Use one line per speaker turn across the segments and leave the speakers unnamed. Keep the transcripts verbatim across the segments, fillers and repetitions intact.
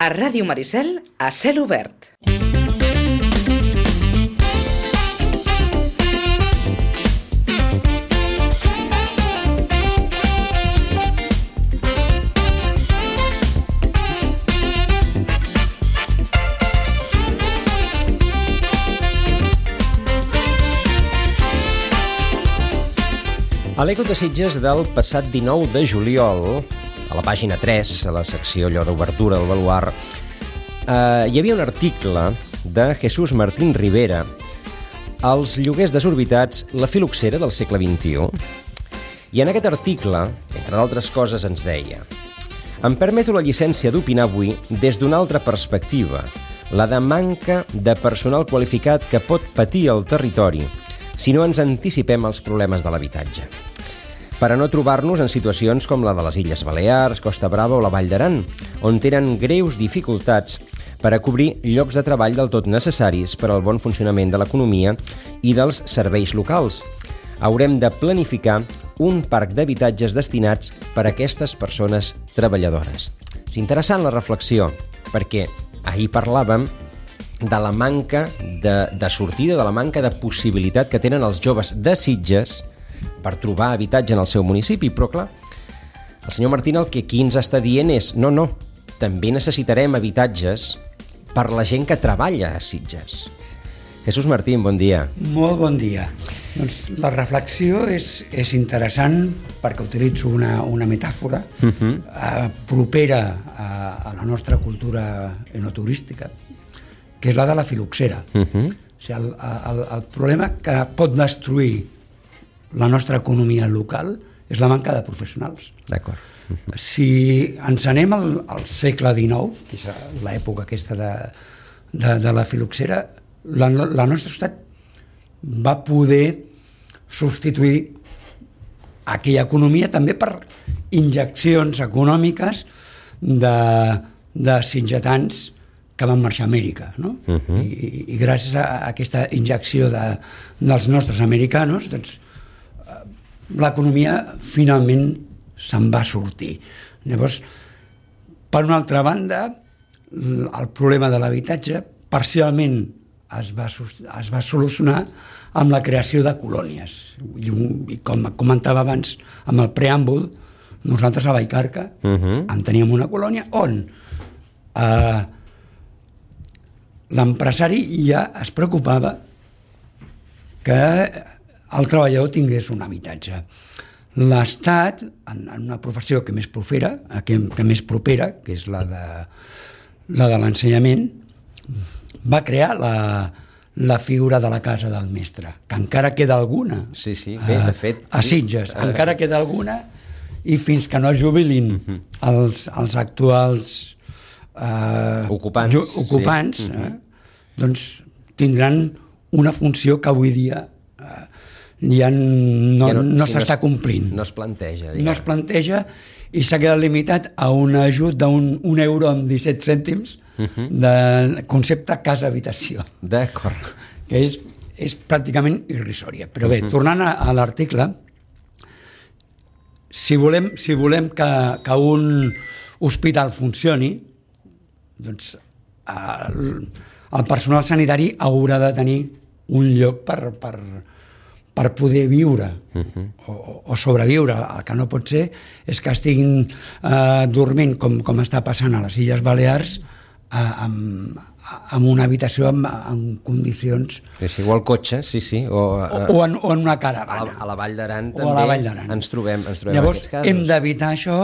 A Ràdio Maricel, a cel obert.
A l'Eco de Sitges del passat dinou de juliol, a la pàgina tres, a la secció allò d'obertura del baluard, eh, hi havia un article de Jesús Martín Rivera, Els lloguers desorbitats, la filoxera del segle vint-i-u. I en aquest article, entre d'altres coses, ens deia: em permeto la llicència d'opinar avui des d'una altra perspectiva, la de manca de personal qualificat que pot patir el territori si no ens anticipem als problemes de l'habitatge, per a no trobar-nos en situacions com la de les Illes Balears, Costa Brava o la Vall d'Aran, on tenen greus dificultats per a cobrir llocs de treball del tot necessaris per al bon funcionament de l'economia i dels serveis locals. Haurem de planificar un parc d'habitatges destinats per a aquestes persones treballadores. És interessant la reflexió, perquè ahir parlàvem de la manca de, de sortida, de la manca de possibilitat que tenen els joves de Sitges per trobar habitatge en el seu municipi. Però clar, el senyor Martín el que aquí ens està dient és no, no, també necessitarem habitatges per la gent que treballa a Sitges. Jesús Martín, bon dia.
Molt bon dia. Doncs la reflexió és, és interessant perquè utilitzo una, una metàfora uh-huh. eh, propera a, a la nostra cultura enoturística, que és la de la filoxera. Uh-huh. O sigui, el, el, el problema que pot destruir la nostra economia local és la manca de professionals.
D'acord. Uh-huh.
Si ens anem al, al segle dinou, que és l'època aquesta de, de, de la filoxera, la, la nostra societat va poder substituir aquella economia també per injeccions econòmiques de, de sitgetans que van marxar a Amèrica, no? Uh-huh. I, i gràcies a aquesta injecció de, dels nostres americanos, doncs, l'economia finalment se'n va sortir. Llavors, per una altra banda, el problema de l'habitatge parcialment es va, es va solucionar amb la creació de colònies. I, i com comentava abans amb el preàmbul, nosaltres a Vallcarca uh-huh. en teníem una colònia on eh, l'empresari ja es preocupava que el treballador tingués un habitatge. L'Estat, en una professió que més propera, que, que més propera, que és la de, la de l'ensenyament, va crear la, la figura de la casa del mestre, que encara queda alguna.
Sí, sí, bé, de fet.
A Sitges, sí. Encara queda alguna, i fins que no es jubilin uh-huh. els, els actuals Uh,
ocupants,
ju- ocupants sí. eh, doncs tindran una funció que avui dia uh, ja no, no, no si s'està no es, complint.
No es planteja. Diguem.
No es planteja i s'ha quedat limitat a un ajut d'un un euro amb disset cèntims uh-huh. de concepte casa-habitació.
D'acord.
Que és, és pràcticament irrisòria. Però bé, uh-huh. tornant a, a l'article, si volem, si volem que, que un hospital funcioni, doncs el, el personal sanitari haurà de tenir un lloc per, per, per poder viure uh-huh. o, o sobreviure. El que no pot ser és que estiguin eh, dormint, com, com està passant a les Illes Balears, eh, amb, amb una habitació amb, amb condicions...
És igual cotxe, sí, sí. O,
o, o, en, o en una caravana.
A la, a la Vall d'Aran
també la Vall d'Aran.
ens trobem, ens trobem
Llavors,
aquests casos.
Hem d'evitar això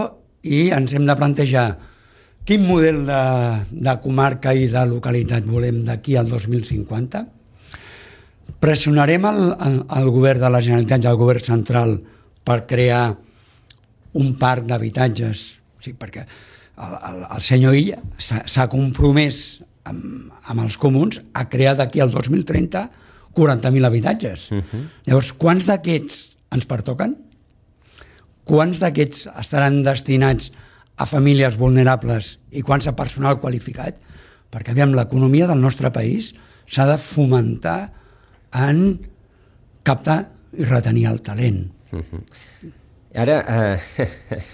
i ens hem de plantejar quin model de, de comarca i de localitat volem d'aquí al dos mil cinquanta. Pressionarem el, el, el govern de la Generalitat i el govern central per crear un parc d'habitatges, sí, perquè el, el, el senyor Illa s'ha, s'ha compromès amb, amb els comuns a crear d'aquí al dos mil trenta quaranta mil habitatges. Uh-huh. Llavors, quants d'aquests ens pertoquen? Quants d'aquests estaran destinats a famílies vulnerables i quants a personal qualificat? Perquè, aviam, l'economia del nostre país s'ha de fomentar en captar i retenir el talent.
Uh-huh. Ara, eh,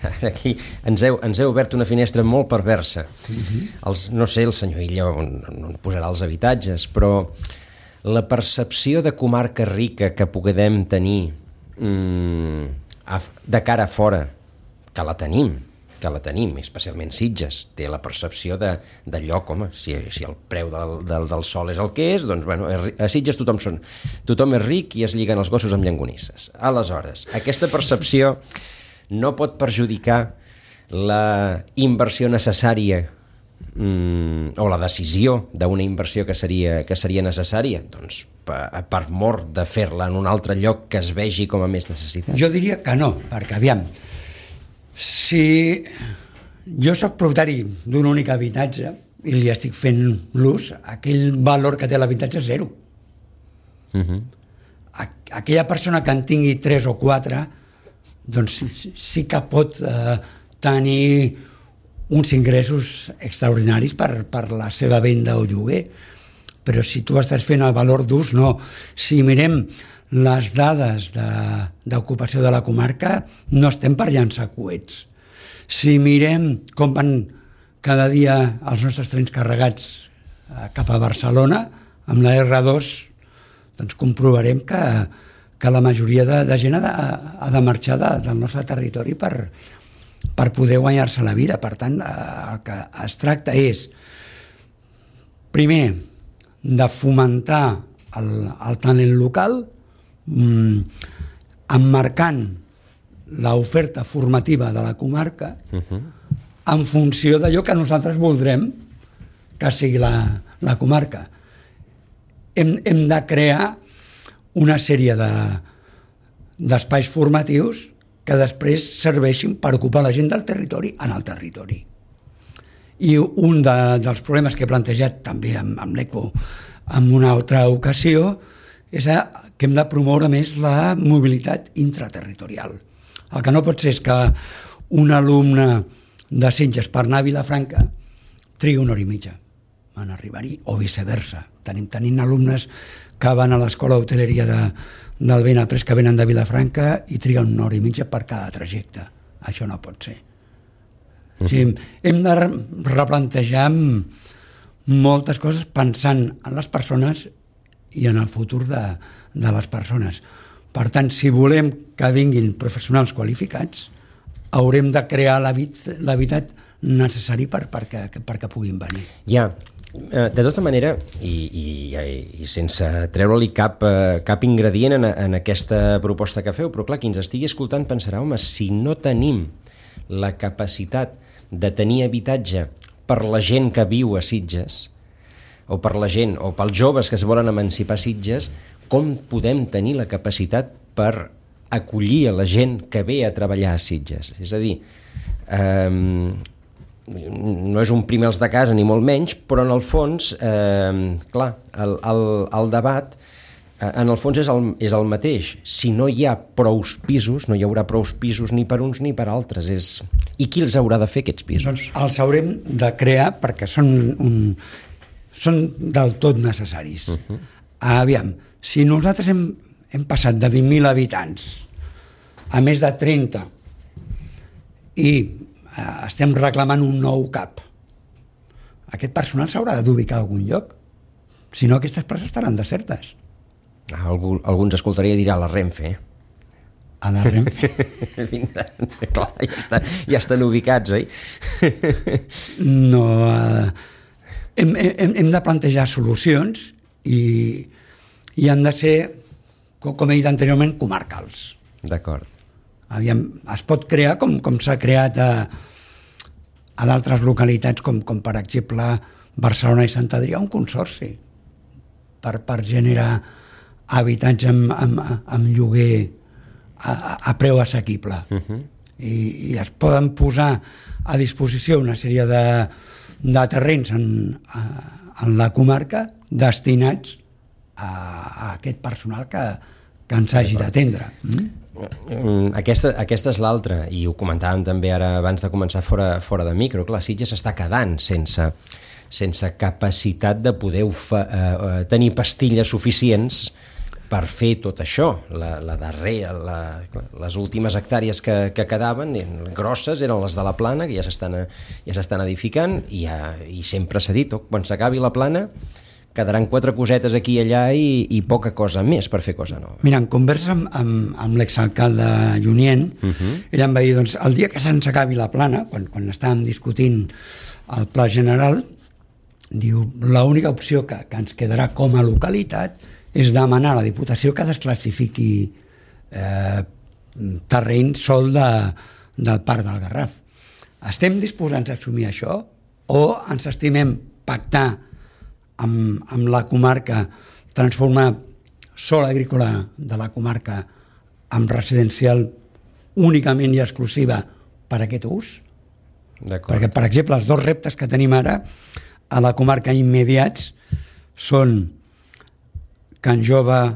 ara aquí ens heu, ens heu obert una finestra molt perversa. Uh-huh. Els, no sé, el senyor Illa on, on posarà els habitatges, però la percepció de comarca rica que puguem tenir mm, a, de cara a fora, que la tenim, que la tenim, especialment Sitges, té la percepció de, de lloc, home, si, si el preu del, del, del sol és el que és, doncs, bueno, a Sitges tothom, són, tothom és ric i es lliguen els gossos amb llangonisses. Aleshores, aquesta percepció no pot perjudicar la inversió necessària mm, o la decisió d'una inversió que seria, que seria necessària, doncs, per, per mort de fer-la en un altre lloc que es vegi com a més necessitat.
Jo diria que no, perquè, aviam, si jo sóc propietari d'un únic habitatge i li estic fent l'ús, aquell valor que té l'habitatge és zero. Uh-huh. Aquella persona que en tingui tres o quatre, doncs sí que pot eh, tenir uns ingressos extraordinaris per, per la seva venda o lloguer, però si tu estàs fent el valor d'ús, no. Si mirem les dades d'ocupació de, de la comarca, no estem per llançar coets. Si mirem com van cada dia els nostres trens carregats cap a Barcelona, amb la erre dos, doncs comprovarem que, que la majoria de, de gent ha de, ha de marxar de, del nostre territori per, per poder guanyar-se la vida. Per tant, el que es tracta és, primer, de fomentar el, el talent local, emmarcant l'oferta formativa de la comarca uh-huh. en funció d'allò que nosaltres voldrem que sigui la, la comarca. Hem, hem de crear una sèrie de, d'espais formatius que després serveixin per ocupar la gent del territori en el territori. I un de, dels problemes que he plantejat també amb, amb l'ECO en una altra ocasió és que hem de promoure més la mobilitat intraterritorial. El que no pot ser és que un alumne de Sitges per anar a Vilafranca trigui una hora i mitja en arribar-hi, o viceversa. Tenim, tenim alumnes que van a l'escola d'hoteleria de, del Benaprés que venen de Vilafranca i triguen una hora i mitja per cada trajecte. Això no pot ser. O sigui, hem de replantejar moltes coses pensant en les persones i en el futur de, de les persones. Per tant, si volem que vinguin professionals qualificats, haurem de crear l'hàbitat necessari per, perquè, perquè puguin venir.
Ja, de tota manera, i, i, i sense treure-li cap, cap ingredient en, en aquesta proposta que feu, però clar, qui ens estigui escoltant pensarà, home, si no tenim la capacitat de tenir habitatge per la gent que viu a Sitges, o per la gent, o pels joves que es volen emancipar a Sitges, com podem tenir la capacitat per acollir a la gent que ve a treballar a Sitges? És a dir, eh, no és un primer els de casa ni molt menys, però en el fons, eh, clar, el, el, el debat eh, en el fons és el, és el mateix. Si no hi ha prous pisos, no hi haurà prous pisos ni per uns ni per altres. És... I qui els haurà de fer, aquests pisos?
Doncs els haurem de crear perquè són un... són del tot necessaris. Uh-huh. Aviam, si nosaltres hem, hem passat de vint mil habitants a més de trenta i eh, estem reclamant un nou CAP, aquest personal s'haurà d'ubicar a algun lloc, si no aquestes places estaran desertes.
Ah, algú, algú ens escoltaria i dirà la Renfe.
A la Renfe?
Clar, ja, està, ja estan ubicats, oi?
No... Eh, Hem, hem, hem de plantejar solucions i, i han de ser, com, com he dit anteriorment, comarcals.
D'acord.
Aviam, es pot crear com, com s'ha creat a, a d'altres localitats, com, com per exemple Barcelona i Sant Adrià, un consorci per, per generar habitatge amb, amb, amb lloguer a, a preu assequible. Uh-huh. I, I es poden posar a disposició una sèrie de de terrenys en, en la comarca destinats a, a aquest personal que, que ens hagi d'atendre.
Mm? Aquesta, aquesta és l'altra, i ho comentàvem també ara abans de començar fora, fora de micro. Clar, Sitges s'està quedant sense, sense capacitat de poder ofa, eh, tenir pastilles suficients per fer tot això. La, la darrera, la, les últimes hectàrees que, que quedaven, grosses, eren les de la Plana, que ja s'estan ja s'estan edificant, i, ja, i sempre s'ha dit, oh, quan s'acabi la Plana quedaran quatre cosetes aquí i allà i, i poca cosa més per fer cosa nova.
Mira, en conversa amb, amb, amb l'exalcalde Junyent, uh-huh. ell em va dir, doncs, el dia que se'ns acabi la Plana, quan, quan estàvem discutint el pla general, diu, l'única opció que, que ens quedarà com a localitat és demanar a la Diputació que desclassifiqui eh, terreny sol de, del Parc del Garraf. Estem disposats a assumir això o ens estimem pactar amb, amb la comarca, transformar sol agrícola de la comarca en residencial únicament i exclusiva per a aquest ús? Perquè, per exemple, els dos reptes que tenim ara a la comarca immediats són Can Jove a,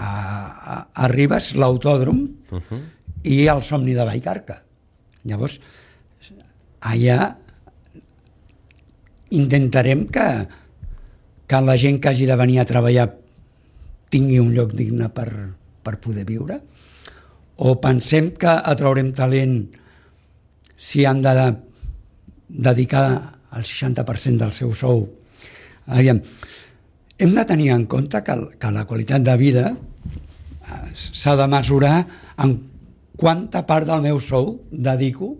a, a Ribes, l'autòdrom, uh-huh. i el Somni de Vallcarca. Llavors, allà intentarem que, que la gent que hagi de venir a treballar tingui un lloc digne per, per poder viure, o pensem que atraurem talent si han de dedicar el seixanta per cent del seu sou. Aviam, hem de tenir en compte que, que la qualitat de vida s'ha de mesurar en quanta part del meu sou dedico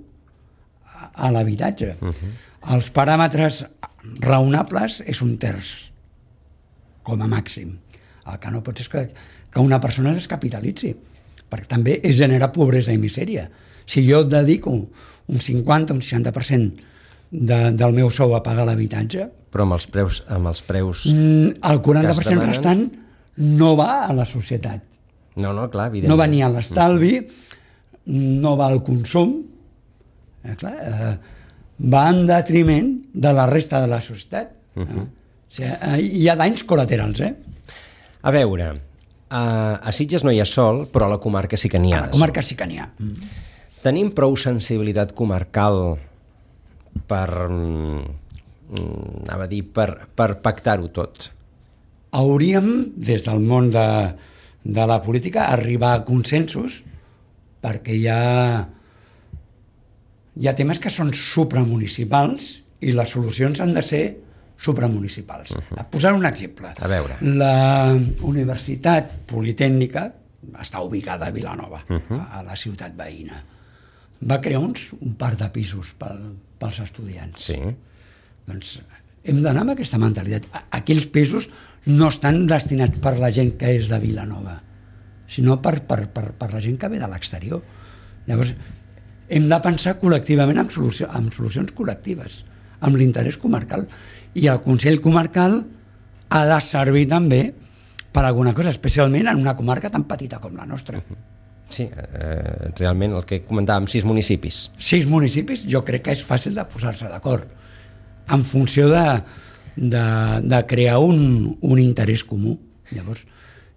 a, a l'habitatge. Uh-huh. Els paràmetres raonables és un terç, com a màxim. El que no pot ser és que, que una persona es capitalitzi, perquè també és generar pobresa i misèria. Si jo dedico un cinquanta, un seixanta per cent de, del meu sou a pagar l'habitatge...
Però amb els preus... Amb els preus
el quaranta per cent restant no va a la societat.
No, no, clar, evidentment.
No va ni a l'estalvi, no va al consum, eh, clar, eh, va en detriment de la resta de la societat. Uh-huh. eh? O sigui, eh, hi ha danys col·laterals, eh?
A veure, a, a Sitges no hi ha sol, però a la comarca sí que n'hi ha.
A la comarca sí que n'hi ha. Mm.
Tenim prou sensibilitat comarcal per, anava a dir, per, per pactar-ho tot?
Hauríem, des del món de, de la política, arribar a consensos, perquè hi ha, hi ha temes que són supramunicipals i les solucions han de ser supramunicipals. Uh-huh. A posar un exemple.
A veure.
La Universitat Politècnica està ubicada a Vilanova, uh-huh. a, a la ciutat veïna. Va crear uns, un parc de pisos pel, pels estudiants.
Sí.
Doncs hem d'anar amb aquesta mentalitat. Aquells pisos no estan destinats per la gent que és de Vilanova, sinó per, per, per, per la gent que ve de l'exterior. Llavors, hem de pensar col·lectivament en, solució, en solucions col·lectives, amb l'interès comarcal. I el Consell Comarcal ha de servir també per alguna cosa, especialment en una comarca tan petita com la nostra.
Sí, eh, realment el que comentàvem, sis municipis.
Sis municipis, jo crec que és fàcil de posar-se d'acord en funció de, de, de crear un, un interès comú. Llavors,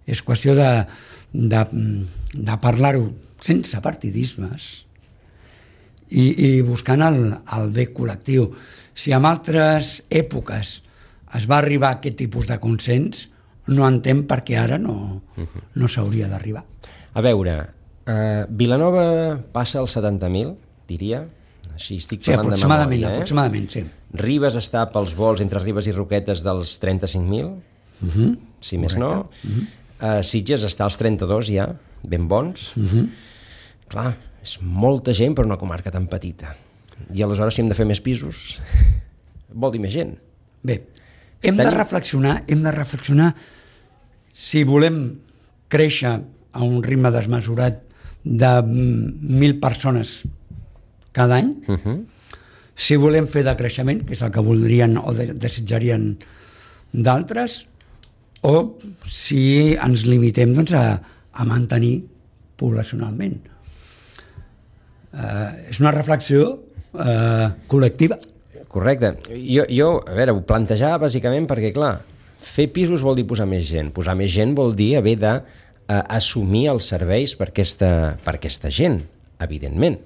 és qüestió de, de, de parlar-ho sense partidismes i, i buscant el, el bé col·lectiu. Si en altres èpoques es va arribar a aquest tipus de consens, no entenc per què ara no, no s'hauria d'arribar.
A veure, eh, Vilanova passa als setanta mil, diria, així estic parlant
sí, aproximadament,
de memòria. Eh?
Aproximadament, sí.
Ribes està pels vols entre Ribes i Roquetes dels trenta-cinc mil, uh-huh. si més no. Uh-huh. Uh, Sitges està als trenta-dos ja, ben bons. Uh-huh. Clar, és molta gent per una comarca tan petita. I aleshores, si hem de fer més pisos, vol dir més gent.
Bé, hem de reflexionar, hem de reflexionar si volem créixer a un ritme desmesurat de mil persones cada any, uh-huh. si volem fer decreixement, que és el que voldrien o de, desitjarien d'altres, o si ens limitem doncs, a, a mantenir poblacionalment. Uh, és una reflexió Uh, col·lectiva.
Correcte. Jo, jo, a veure, ho plantejava bàsicament perquè, clar, fer pisos vol dir posar més gent. Posar més gent vol dir haver d'assumir uh, els serveis per aquesta, per aquesta gent, evidentment.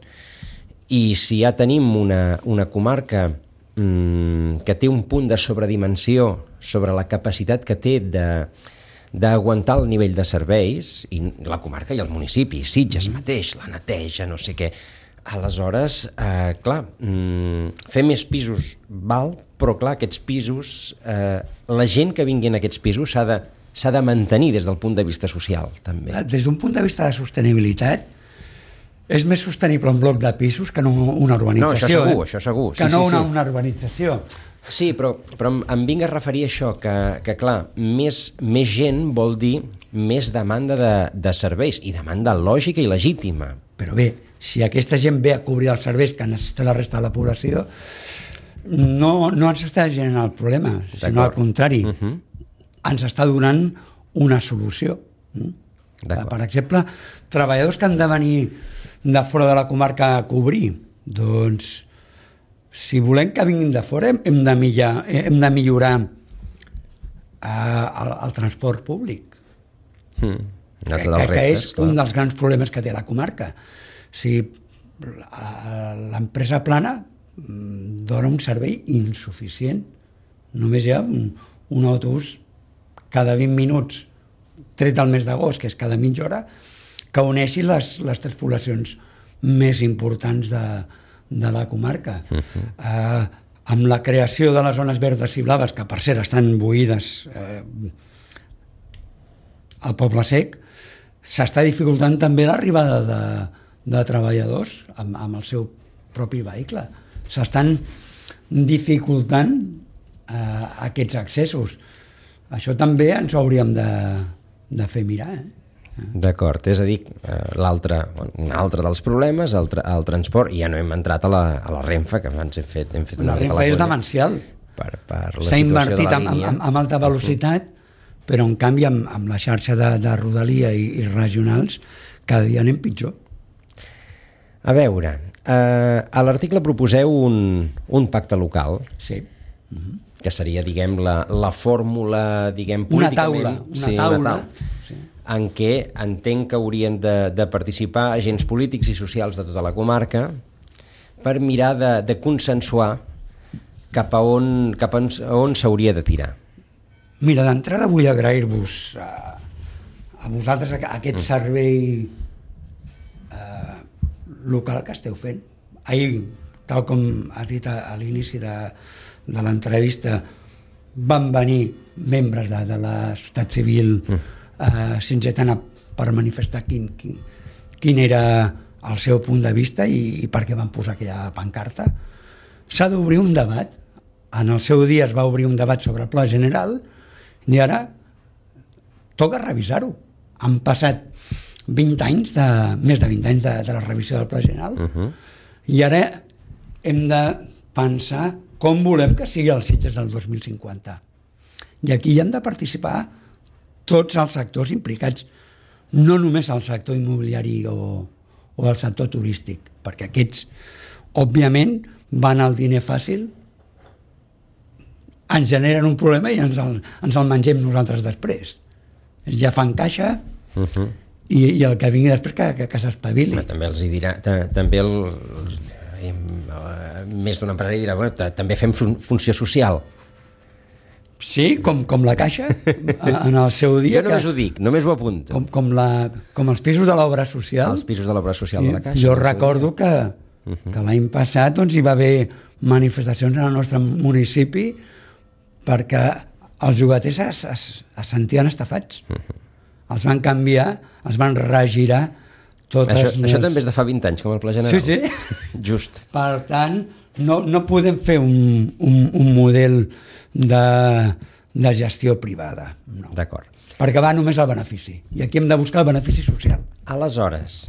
I si ja tenim una, una comarca mm, que té un punt de sobredimensió sobre la capacitat que té de, d'aguantar el nivell de serveis, i la comarca i el municipi, Sitges mateix, la neteja, no sé què. Aleshores, eh, clar, mm, fer més pisos val, però clar, aquests pisos, eh, la gent que vingui en aquests pisos s'ha de, s'ha de mantenir des del punt de vista social, també.
Des d'un punt de vista de sostenibilitat, és més sostenible un bloc de pisos que no una urbanització.
No, això segur,
eh?
això segur.
Que
sí,
no
sí,
una,
sí.
una urbanització.
Sí, però, però em, em vinc a referir a això, que, que clar, més, més gent vol dir més demanda de, de serveis, i demanda lògica i legítima.
Però bé, si aquesta gent ve a cobrir els serveis que necessita la resta de la població, no, no ens està generant el problema, sinó al contrari, uh -huh. ens està donant una solució. Per exemple, treballadors que han de venir de fora de la comarca a cobrir, doncs si volem que vinguin de fora hem de millorar, hem de millorar eh, el, el transport públic,
mm,
que, que, que és clar. Un dels grans problemes que té la comarca. Si l'empresa plana dona un servei insuficient, només hi ha un, un autobús cada vint minuts, tret al mes d'agost, que és cada mitja hora, que uneixi les, les tres poblacions més importants de, de la comarca. Uh-huh. eh, amb la creació de les zones verdes i blaves, que per cert estan buides eh, al Poble Sec, s'està dificultant també l'arribada de, de treballadors amb, amb el seu propi vehicle. S'estan dificultant eh, aquests accessos. Això també ens ho hauríem de, de fer mirar, eh?
D'acord, és a dir, l'altre, un altre dels problemes, el, tra el transport, i ja no hem entrat a la, a la Renfe, que abans hem fet, hem fet
una la Renfe és demencial.
Per, per
s'ha invertit amb, amb, amb alta velocitat, uh-huh. però en canvi amb, amb la xarxa de, de rodalia i, i regionals cada dia anem pitjor.
A veure, eh, a l'article proposeu un, un pacte local.
Sí.
Uh-huh. Que seria, diguem, la, la fórmula, diguem,
una
políticament...
taula, una
sí,
taula,
una taula sí. en què entenc que haurien de, de participar agents polítics i socials de tota la comarca per mirar de, de consensuar cap a on, cap a on s'hauria de tirar.
Mira, d'entrada vull agrair-vos a, a vosaltres aquest servei eh, local que esteu fent. Ahir, tal com has dit a, a l'inici de, de l'entrevista, van venir membres de, de la societat civil mm. eh, sitgetana per manifestar quin, quin, quin era el seu punt de vista i, i per què van posar aquella pancarta. S'ha d'obrir un debat. En el seu dia es va obrir un debat sobre el pla general i ara toca revisar-ho. Han passat vint anys, de, més de vint anys de, de la revisió del pla general uh-huh. i ara hem de pensar com volem que sigui els Sitges del dos mil cinquanta. I aquí hi han de participar tots els sectors implicats, no només el sector immobiliari o, o el sector turístic, perquè aquests, òbviament, van al diner fàcil, ens generen un problema i ens el, ens el mengem nosaltres després. Ja fan caixa uh-huh. i, i el que vingui després que, que, que s'espavili.
També els hi dirà, també el, més d'un empresari dirà, bueno, també fem funció social.
Sí, com, com la Caixa en el seu dia.
Jo només que, ho dic, només ho apunto.
Com, com, la, com els pisos de l'obra social.
Els pisos de l'obra social de la Caixa.
Jo recordo que, uh-huh. que l'any passat doncs, hi va haver manifestacions en el nostre municipi perquè els llogaters es, es, es sentien estafats. Uh-huh. Els van canviar, els van regirar totes...
Això,
les...
això també és de fa vint anys, com el Pla General.
Sí, sí.
Just.
Per tant, no, no podem fer un, un, un model de, de gestió privada. No.
D'acord.
Perquè va només al benefici. I aquí hem de buscar el benefici social.
Aleshores,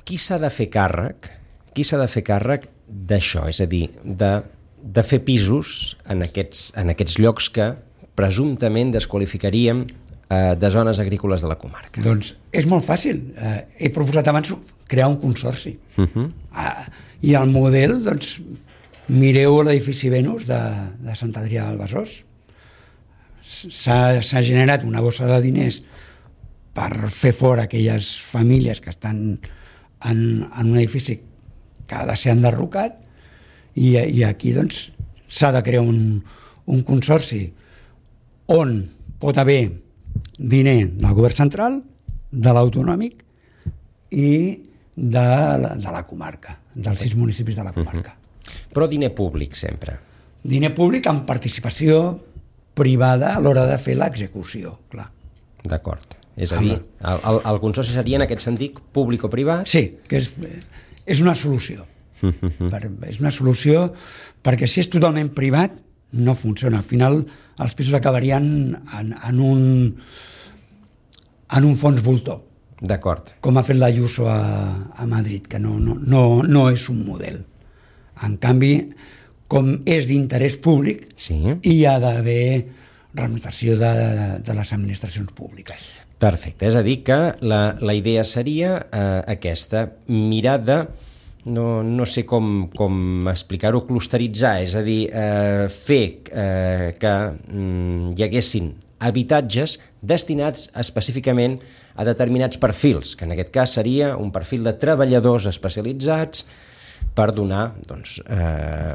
qui s'ha de fer càrrec? Qui s'ha de fer càrrec d'això? És a dir, de, de fer pisos en aquests, en aquests llocs que presumptament desqualificaríem eh, de zones agrícoles de la comarca.
Doncs és molt fàcil. Eh, he proposat abans crear un consorci. Uh-huh. eh, I el model, doncs, mireu l'edifici Venus de, de Sant Adrià del Besòs. S'ha generat una bossa de diners per fer fora aquelles famílies que estan en, en un edifici que ha de ser enderrocat i, i aquí doncs s'ha de crear un, un consorci on pot haver diner del govern central, de l'autonòmic i de la, de la comarca, dels sis municipis de la comarca.
Uh-huh. Però diner públic sempre.
Diner públic amb participació privada a l'hora de fer l'execució, clar.
D'acord. És a dir, el, el, el consorci seria en aquest sentit públic o privat?
Sí, que és, és una solució. per, és una solució perquè si és totalment privat no funciona. Al final els pisos acabarien en, en un en un fons voltor.
D'acord.
Com ha fet l'Ayuso a, a Madrid, que no, no, no, no és un model. En canvi, com és d'interès públic,
sí,
hi ha d'haver representació de, de les administracions públiques.
Perfecte, és a dir que la, la idea seria eh, aquesta, mirar de, no, no sé com, com explicar-ho, clusteritzar, és a dir, eh, fer eh, que mm, hi haguessin habitatges destinats específicament a determinats perfils, que en aquest cas seria un perfil de treballadors especialitzats per donar doncs, eh,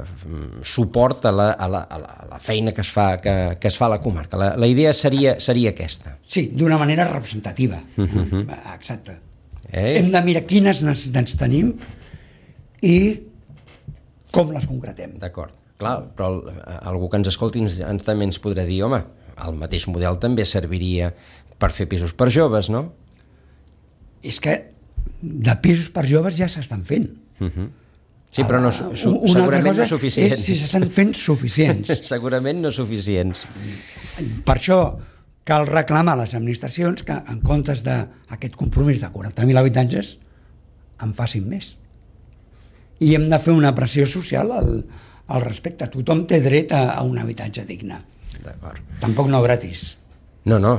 suport a la, a, la, a la feina que es fa, que, que es fa a la comarca. La, la idea seria, seria aquesta.
Sí, d'una manera representativa.
Uh-huh.
Exacte.
Eh?
Hem de mirar quines necessitats tenim i com les concretem.
D'acord. Clar, però algú que ens escolti ens, ens també ens podrà dir, home, el mateix model també serviria per fer pisos per joves, no?
És que de pisos per joves ja s'estan fent.
Uh-huh. Sí, però no, su, su,
una
segurament no suficients.
És, si s'estan fent suficients.
Segurament no suficients.
Per això cal reclamar a les administracions que en comptes d'aquest compromís de quaranta mil habitatges en facin més. I hem de fer una pressió social al, al respecte. Tothom té dret a, a un habitatge digne.
D'acord.
Tampoc no gratis.
No, no,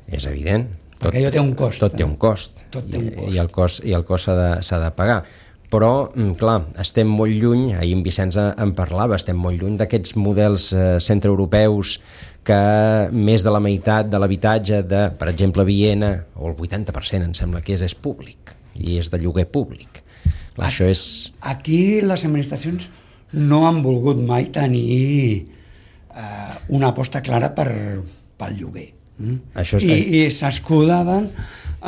és evident. Tot,
perquè allò té un cost.
Tot té un cost.
Tot té un cost.
I, i el cost, i el cost s'ha de, s'ha de pagar. Però, clar, estem molt lluny, ahir en Vicenç en parlava, estem molt lluny d'aquests models eh, centreeuropeus que més de la meitat de l'habitatge de, per exemple, Viena, o el vuitanta per cent em sembla que és, és públic, i és de lloguer públic. Clar, això és...
Aquí les administracions no han volgut mai tenir eh, una aposta clara per, pel lloguer. Mm?
Això és...
I, I s'escudaven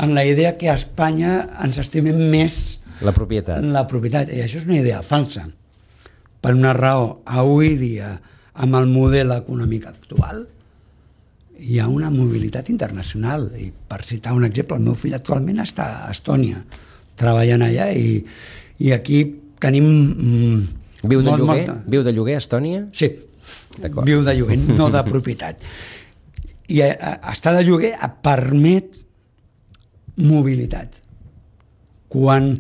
en la idea que a Espanya ens estimem més
la propietat.
La propietat, i això és una idea falsa. Per una raó, avui dia, amb el model econòmic actual, hi ha una mobilitat internacional. I per citar un exemple, el meu fill actualment està a Estònia, treballant allà, i, i aquí tenim... Mm,
Viu de
molt,
lloguer?
Molta...
Viu de lloguer a Estònia?
Sí, viu de lloguer, no de propietat. I a, a, estar de lloguer permet mobilitat. Quan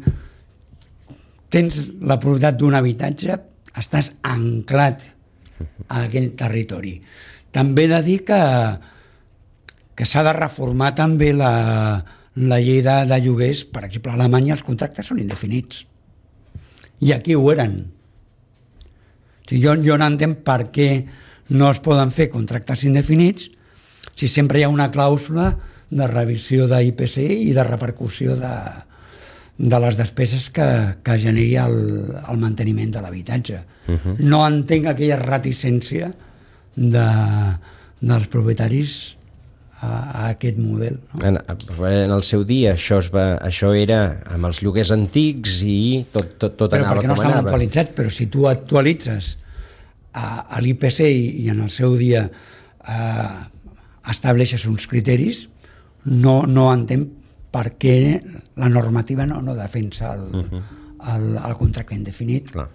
tens la propietat d'un habitatge, estàs anclat a aquell territori. També he de dir que, que s'ha de reformar també la, la llei de, de lloguers. Per exemple, a Alemanya els contractes són indefinits. I aquí ho eren. O sigui, jo, jo no entenc per què no es poden fer contractes indefinits si sempre hi ha una clàusula de revisió d'I P C i de repercussió de, de les despeses que, que generi el, el manteniment de l'habitatge. Uh-huh. No entenc aquella reticència de, dels propietaris a, a aquest model. No?
En, en el seu dia això, es va, això era amb els lloguers antics i tot, tot, tot
però
anava
perquè no
com
estaven
anava.
actualitzats, però si tu actualitzes a, a l'I P C i, i en el seu dia eh, estableixes uns criteris, no, no entenc per què la normativa no, no defensa el, uh-huh. el, el contracte indefinit.
Clar.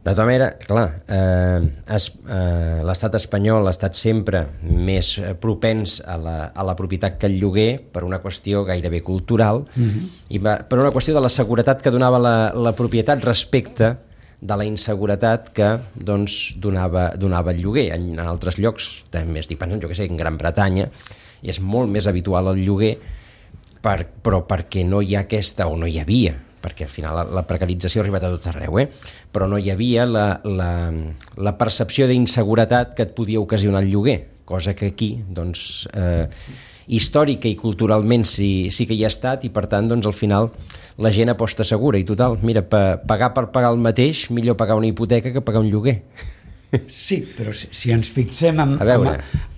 De tota manera, clar, eh, es, eh, l'estat espanyol ha estat sempre més propens a la, a la propietat que el lloguer per una qüestió gairebé cultural uh-huh. i va, per una qüestió de la seguretat que donava la, la propietat respecte de la inseguretat que doncs, donava, donava el lloguer. En, en altres llocs, també estic pensant, jo que sé, en Gran Bretanya, és molt més habitual el lloguer, per, però perquè no hi ha aquesta, o no hi havia, perquè al final la, la precarització ha arribat a tot arreu, eh? Però no hi havia la, la, la percepció d'inseguretat que et podia ocasionar el lloguer, cosa que aquí, doncs, eh, històrica i culturalment sí, sí que hi ha estat, i per tant, doncs, al final la gent aposta segura, i total, mira, pa, pagar per pagar el mateix, millor pagar una hipoteca que pagar un lloguer.
Sí, però si, si ens fixem en, en,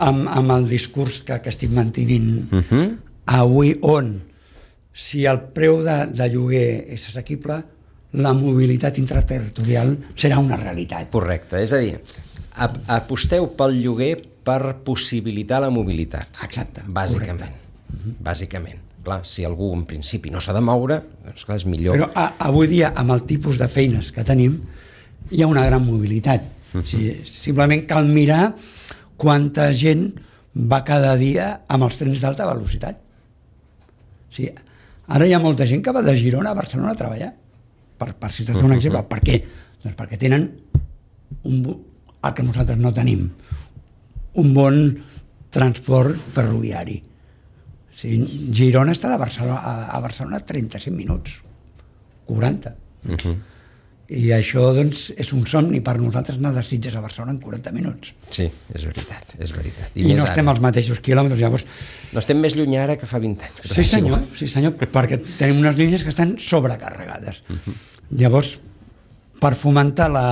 en, en el discurs que, que estic mantenint uh-huh. avui, on si el preu de, de lloguer és assequible, la mobilitat intraterritorial serà una realitat.
Correcte, és a dir, aposteu pel lloguer per possibilitar la mobilitat.
Exacte.
Bàsicament. Uh-huh. Bàsicament. Clar, si algú en principi no s'ha de moure, doncs clar, és millor.
Però a, avui dia, amb el tipus de feines que tenim, hi ha una gran mobilitat. Uh-huh. Sí, simplement cal mirar quanta gent va cada dia amb els trens d'alta velocitat. Sí, ara hi ha molta gent que va de Girona a Barcelona a treballar, per, per citar-te un exemple. Per què? Doncs perquè tenen un, el que nosaltres no tenim, un bon transport ferroviari. Sí, Girona està de Barcelona, a, a Barcelona trenta-cinc minuts, quaranta. Uh-huh. I això, doncs, és un somni per nosaltres anar de Sitges a Barcelona en quaranta minuts.
Sí, és veritat, és veritat.
I, I no estem ara. als mateixos quilòmetres, llavors...
No estem més lluny ara que fa vint anys.
Sí, senyor, sí, senyor, perquè tenim unes línies que estan sobrecarregades. Uh-huh. Llavors, per fomentar la,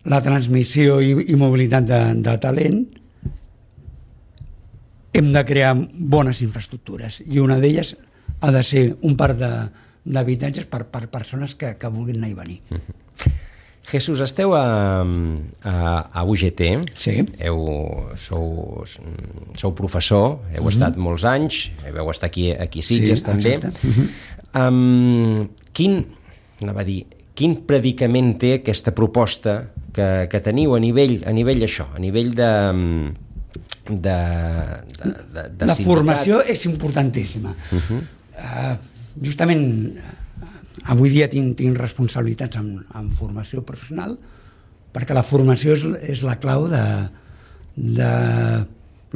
la transmissió i, i mobilitat de, de talent, hem de crear bones infraestructures i una d'elles ha de ser un parc d'habitatges per, per persones que, que vulguin anar i venir.
Uh-huh. Jesús, esteu a, a, a U G T,
sí.
heu, sou, sou professor, heu uh-huh. estat molts anys, vau estar aquí, aquí a Sitges sí, també. Uh-huh. Um, quin, anava a dir, quin predicament té aquesta proposta que, que teniu a nivell, a nivell això, a nivell de... de, de, de, de
la
sindicat.
Formació és importantíssima. Uh-huh. uh, justament uh, avui dia tinc, tinc responsabilitats en, en formació professional, perquè la formació és, és la clau de, de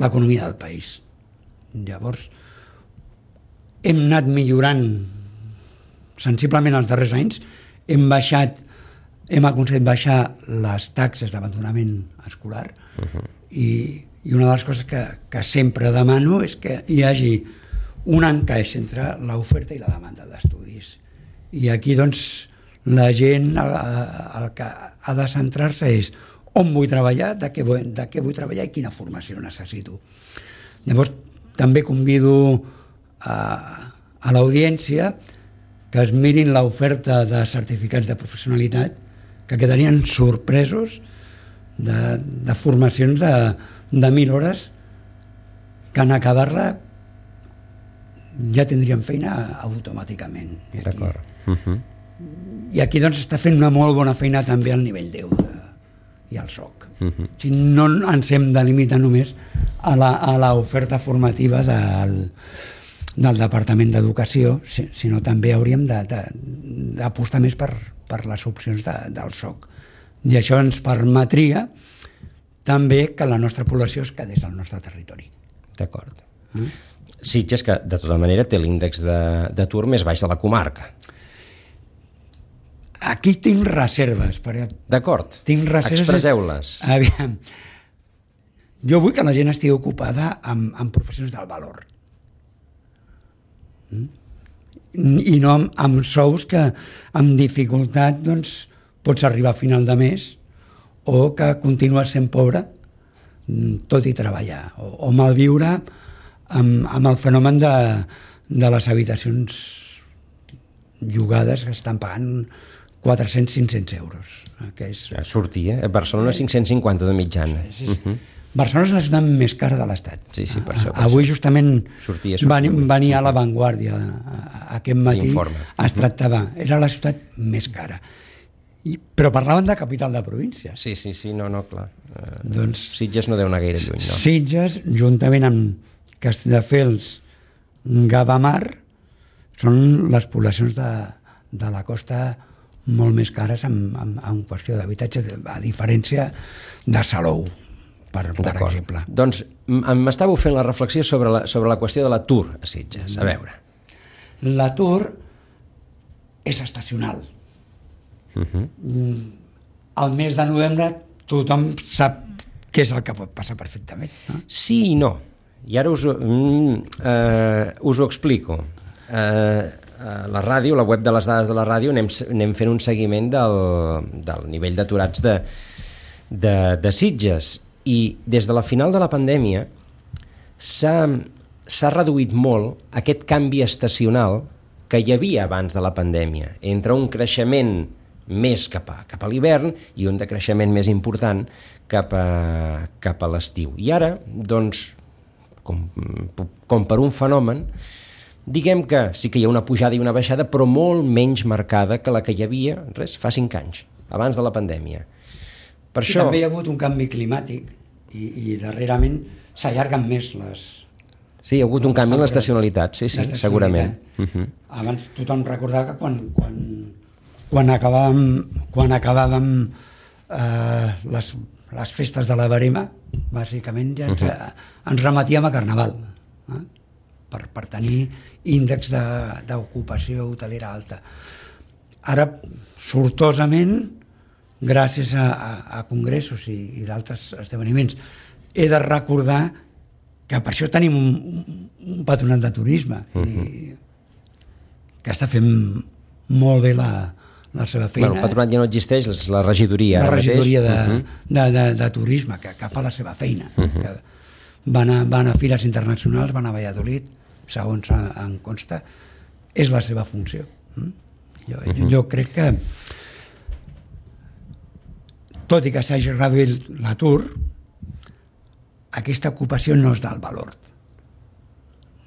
l'economia del país. Llavors hem anat millorant sensiblement els darrers anys, hem baixat hem aconseguit baixar les taxes d'abandonament escolar uh-huh. i I una de les coses que, que sempre demano és que hi hagi un encaix entre l'oferta i la demanda d'estudis. I aquí, doncs, la gent el, el que ha de centrar-se és on vull treballar, de què vull, de què vull treballar i quina formació necessito. Llavors, també convido a, a l'audiència que es mirin l'oferta de certificats de professionalitat, que quedarien sorpresos de, de formacions de de mil hores que en acabar-la ja tindríem feina automàticament. I aquí,
d'acord. Uh-huh.
I aquí doncs està fent una molt bona feina també al nivell deu de, i al S O C. Uh-huh. O sigui, no ens hem de limitar només a l'oferta formativa del, del Departament d'Educació, sinó també hauríem d'apostar més per, per les opcions de, del S O C. I això ens permetria també que la nostra població es quedés al nostre territori.
D'acord. Mm? Sitges, que de tota manera té l'índex d'atur més baix de la comarca.
Aquí tinc reserves.
D'acord,
expresseu-les. Aviam, jo vull que la gent estigui ocupada amb, amb professions del valor. Mm? I no amb, amb sous que amb dificultat doncs, pots arribar a final de mes o que continues sent pobre tot i treballar, o, o malviure amb, amb el fenomen de, de les habitacions llogades que estan pagant quatre-cents a cinc-cents euros. Que és...
Ja sortia, a Barcelona cinc-cents cinquanta de mitjana. Sí, sí. Uh-huh.
Barcelona és la ciutat més cara de l'Estat.
Sí, sí, per això. Per
Avui
això.
justament
sortia, sortia.
venia a La Vanguardia aquest matí,
Informe.
es tractava, era la ciutat més cara. I, però parlaven de capital de província.
Sí, sí, sí, no, no, clar. Uh,
doncs,
Sitges no deu anar gaire lluny, no?
Sitges, juntament amb Castelldefels, Gavamar, són les poblacions de, de la costa molt més cares en, en, en qüestió d'habitatge, a diferència de Salou, per, per exemple.
Doncs m'estàveu fent la reflexió sobre la, sobre la qüestió de l'atur a Sitges. A veure.
L'atur és estacional. Uh-huh. Al mes de novembre tothom sap què és el que pot passar perfectament, no?
Sí i no, i ara us, mm, eh, us ho explico. eh, la ràdio, la web de les dades de la ràdio, anem, anem fent un seguiment del, del nivell d'aturats de, de, de Sitges, i des de la final de la pandèmia s'ha, s'ha reduït molt aquest canvi estacional que hi havia abans de la pandèmia, entre un creixement més cap a, cap a l'hivern i un decreixement més important cap a, cap a l'estiu. I ara, doncs, com, com per un fenomen, diguem que sí que hi ha una pujada i una baixada, però molt menys marcada que la que hi havia, res, fa cinc anys, abans de la pandèmia. Per
I
això...
també hi ha hagut un canvi climàtic i, i darrerament s'allarguen més les...
Sí, hi ha hagut un canvi en l'estacionalitat, sí, sí, segurament.
Uh-huh. Abans tothom recordava que quan, quan, quan acabàvem, quan acabàvem eh, les, les festes de la Verema, bàsicament ja ens, uh-huh. ens remetíem a Carnaval, eh? per, per tenir índex de, d'ocupació hotelera alta. Ara, sortosament, gràcies a, a, a congressos i, i d'altres esdeveniments, he de recordar que per això tenim un, un patronat de turisme uh-huh. i que està fent molt bé la, la seva feina.
Bueno, el patronat ja no existeix, és la regidoria.
La regidoria de,
uh-huh.
de, de, de turisme, que, que fa la seva feina. Uh-huh. Que van, a, van a fires internacionals, van a Valladolid, segons en consta, és la seva funció. Jo, uh-huh. jo crec que, tot i que s'hagi reduït l'atur, aquesta ocupació no és del valor.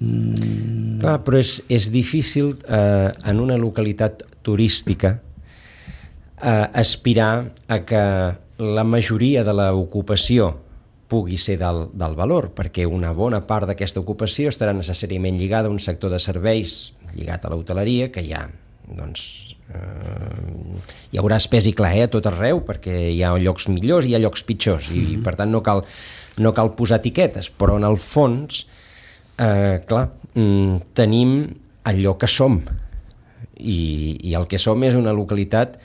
Mm.
Clar, però és, és difícil eh, en una localitat turística eh, aspirar a que la majoria de l'ocupació pugui ser del, del valor, perquè una bona part d'aquesta ocupació estarà necessàriament lligada a un sector de serveis lligat a l'hoteleria, que hi ha, doncs, eh, hi haurà espès i clar eh, a tot arreu, perquè hi ha llocs millors i hi ha llocs pitjors, i, i per tant no cal, no cal posar etiquetes, però en el fons, eh, clar, mm, tenim allò que som, i, i el que som és una localitat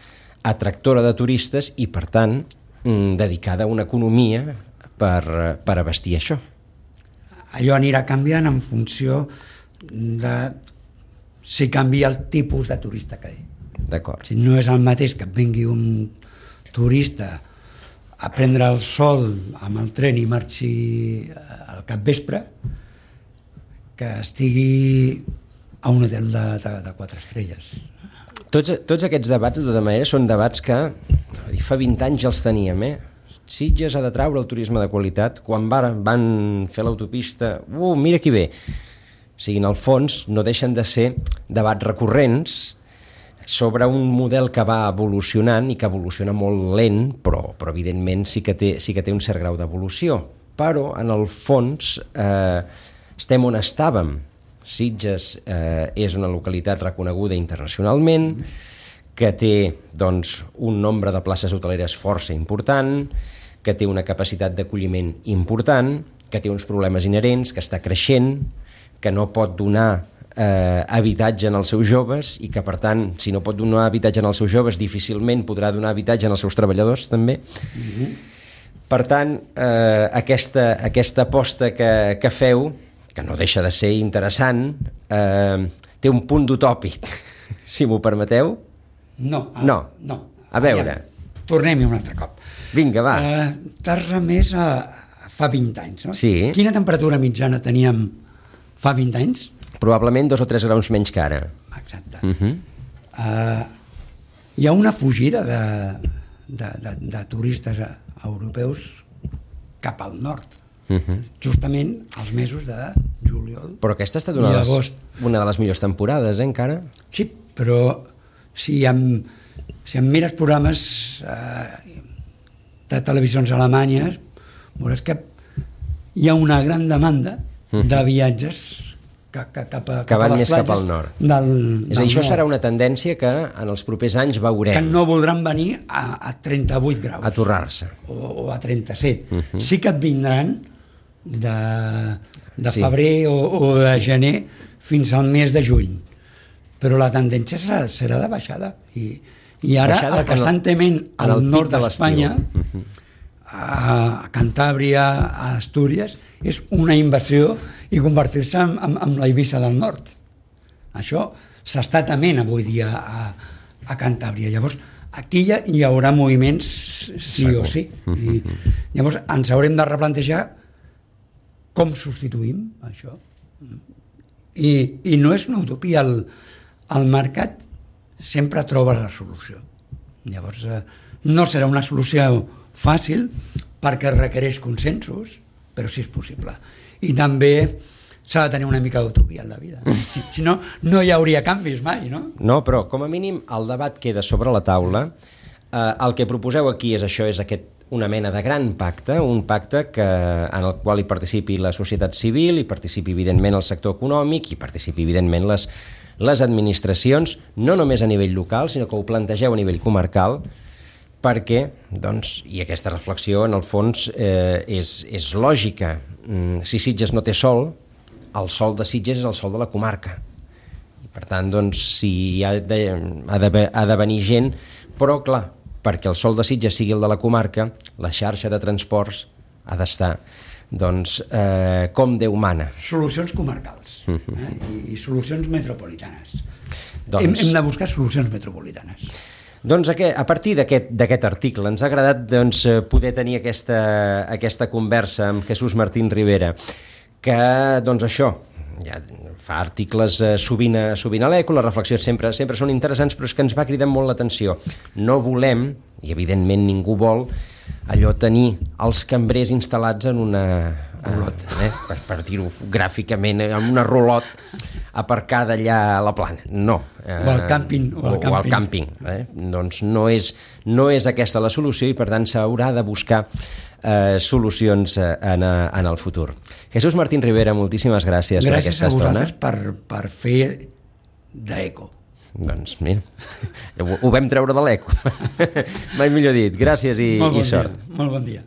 atractora de turistes i, per tant, mm, dedicada a una economia per, per abastir això.
Allò anirà canviant en funció de si canvia el tipus de turista que hi ha.
D'acord.
Si no és el mateix que et vingui un turista a prendre el sol amb el tren i marxi al capvespre, que estigui a un hotel de, de, de quatre estrelles.
Tots, tots aquests debats, de tota manera, són debats que fa vint anys ja els teníem, eh? Sitges ha de traure el turisme de qualitat. Quan van, van fer l'autopista, uh, mira qui ve. O sigui, en el fons no deixen de ser debats recurrents sobre un model que va evolucionant i que evoluciona molt lent, però, però evidentment sí que té, sí que té un cert grau d'evolució. Però, en el fons, eh, estem on estàvem. Sitges eh, és una localitat reconeguda internacionalment, que té, doncs, un nombre de places hoteleres força important, que té una capacitat d'acolliment important, que té uns problemes inherents, que està creixent, que no pot donar eh, habitatge als seus joves i que, per tant, si no pot donar habitatge als seus joves, difícilment podrà donar habitatge als seus treballadors, també. Mm-hmm. Per tant, eh, aquesta, aquesta aposta que, que feu, que no deixa de ser interessant, eh, té un punt d'utòpic, si m'ho permeteu.
No. A,
no.
no.
A veure.
Ja, tornem-hi un altre cop.
Vinga, va.
Uh, T'has remès a, a fa vint anys, no?
Sí.
Quina temperatura mitjana teníem fa vint anys?
Probablement dos o tres graus menys que ara.
Exacte.
Uh-huh.
Uh, hi ha una fugida de, de, de, de turistes europeus cap al nord. Uh-huh. Justament als mesos de juliol.
Però aquesta ha estat una, de les, una de les millors temporades, eh, encara?
Sí, però si em, si em mires programes eh, de televisions alemanyes, veuràs que hi ha una gran demanda uh-huh. de viatges que, que, cap a,
que van
cap a les
més cap al nord.
Del,
és a dir, això serà una tendència que en els propers anys veurem.
Que no voldran venir a, a trenta-vuit graus.
A torrar-se.
O, o a trenta-set.
Uh-huh.
Sí que et vindran de, de
sí.
febrer o, o de sí. gener fins al mes de juny. Però la tendència serà, serà de baixada. I, i ara baixada el que estan tement al nord d'Espanya, uh-huh. a Cantàbria, a Astúries, és una inversió i convertir-se en, en, en la Eivissa del nord. Això s'està tement avui dia a, a Cantàbria. Llavors, aquí hi, ha, hi haurà moviments sí Segur. o sí. I llavors ens haurem de replantejar com substituïm això. I, i no és una utopia, el, el mercat sempre troba la solució. Llavors, eh, no serà una solució fàcil perquè requereix consensos, però sí és possible. I també s'ha de tenir una mica d'utopia en la vida. Si, si no, no hi hauria canvis mai, no?
No, però com a mínim el debat queda sobre la taula. Eh, el que proposeu aquí és això, és aquest una mena de gran pacte, un pacte que, en el qual hi participi la societat civil, hi participi evidentment el sector econòmic, hi participi evidentment les, les administracions, no només a nivell local, sinó que ho plantegeu a nivell comarcal, perquè, doncs, i aquesta reflexió en el fons eh, és, és lògica. Mm, si Sitges no té sol, el sol de Sitges és el sol de la comarca. I per tant, doncs, si ha de, ha de, ha de venir gent, però clar, perquè el sol de Sitges sigui el de la comarca, la xarxa de transports ha d'estar, doncs, eh, com Déu mana.
Solucions comarcals eh? I, i solucions metropolitanes.
Doncs...
Hem, hem de buscar solucions metropolitanes.
Doncs a partir d'aquest article ens ha agradat doncs, poder tenir aquesta, aquesta conversa amb Jesús Martín Rivera, que doncs això, ja fa articles eh, sovint, a, sovint a l'Eco, les reflexions sempre, sempre són interessants, però és que ens va cridar molt l'atenció. No volem, i evidentment ningú vol, allò tenir els cambrers instal·lats en una...
Rulot.
Eh, per, per dir-ho gràficament, en una rulot aparcada allà a la plana. No.
Eh, o al càmping.
O, o al càmping. O al càmping eh? Doncs no és, no és aquesta la solució i per tant s'haurà de buscar eh, solucions en, en el futur. Jesús Martín Rivera, moltíssimes gràcies, gràcies per aquesta estona.
Gràcies a vosaltres per, per fer d'Eco.
Doncs mira, ho, ho vam treure de l'Eco. Mai millor dit. Gràcies i,
bon
i sort.
Dia, molt bon dia.